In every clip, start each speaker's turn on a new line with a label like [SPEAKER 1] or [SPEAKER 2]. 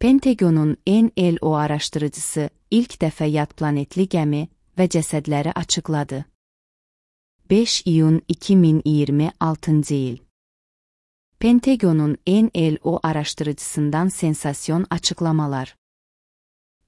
[SPEAKER 1] Pentagonun NLO araşdırıcısı ilk dəfə yad planetli gəmi və cəsədləri açıqladı. 5 iyun 2026 il. Pentagonun NLO araşdırıcısından sensasyon açıqlamalar.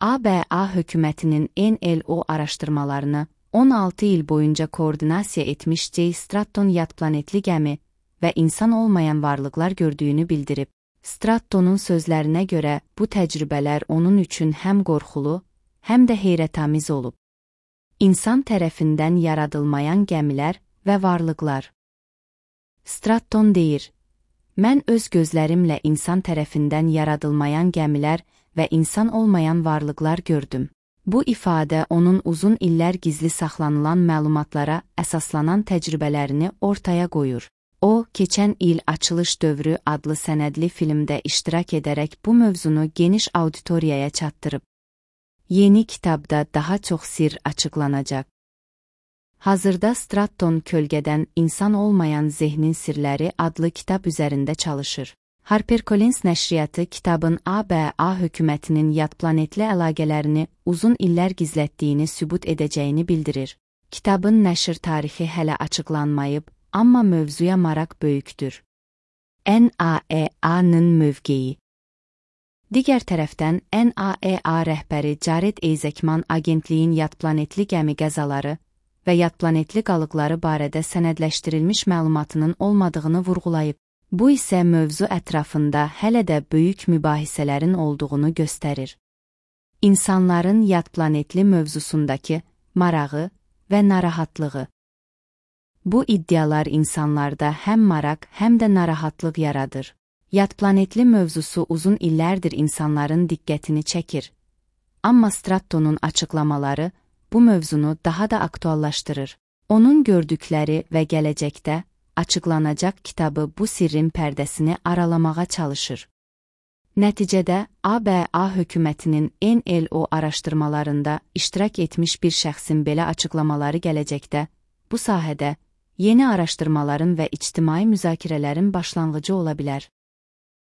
[SPEAKER 1] ABA hökumətinin NLO araşdırmalarını 16 il boyunca koordinasiya etmiş J. Stratton yad planetli gəmi və insan olmayan varlıqlar gördüyünü bildirib. Strattonun sözlərinə görə bu təcrübələr onun üçün həm qorxulu, həm də heyrətamiz olub. İnsan tərəfindən yaradılmayan gəmilər və varlıqlar. Stratton deyir, mən öz gözlərimlə insan tərəfindən yaradılmayan gəmilər və insan olmayan varlıqlar gördüm. Bu ifadə onun uzun illər gizli saxlanılan məlumatlara əsaslanan təcrübələrini ortaya qoyur. O, keçən il Açılış dövrü adlı sənədli filmdə iştirak edərək bu mövzunu geniş auditoriyaya çatdırıb. Yeni kitabda daha çox sirr açıqlanacaq. Hazırda Stratton kölgədən insan olmayan zehnin sirləri adlı kitab üzərində çalışır. HarperCollins nəşriyyatı kitabın ABA hökumətinin yad planetli əlaqələrini uzun illər gizlətdiyini sübut edəcəyini bildirir. Kitabın nəşr tarixi hələ açıqlanmayıb, amma mövzuya maraq böyükdür. NAEA-nın mövqeyi. Digər tərəfdən, NAEA rəhbəri Jared Isaacman agentliyin yad planetli gəmi qəzaları və yad planetli qalıqları barədə sənədləşdirilmiş məlumatının olmadığını vurğulayıb. Bu isə mövzu ətrafında hələ də böyük mübahisələrin olduğunu göstərir. İnsanların yad planetli mövzusundakı marağı və narahatlığı. Bu iddialar insanlarda həm maraq, həm də narahatlıq yaradır. Yad planetli mövzusu uzun illərdir insanların diqqətini çəkir. Amma Strattonun açıqlamaları bu mövzunu daha da aktuallaşdırır. Onun gördükləri və gələcəkdə açıqlanacaq kitabı bu sirrin pərdəsini aralamağa çalışır. Nəticədə, ABA hökumətinin NLO araşdırmalarında iştirak etmiş bir şəxsin belə açıqlamaları gələcəkdə, bu sahədə yeni araşdırmaların və ictimai müzakirələrin başlanğıcı ola bilər.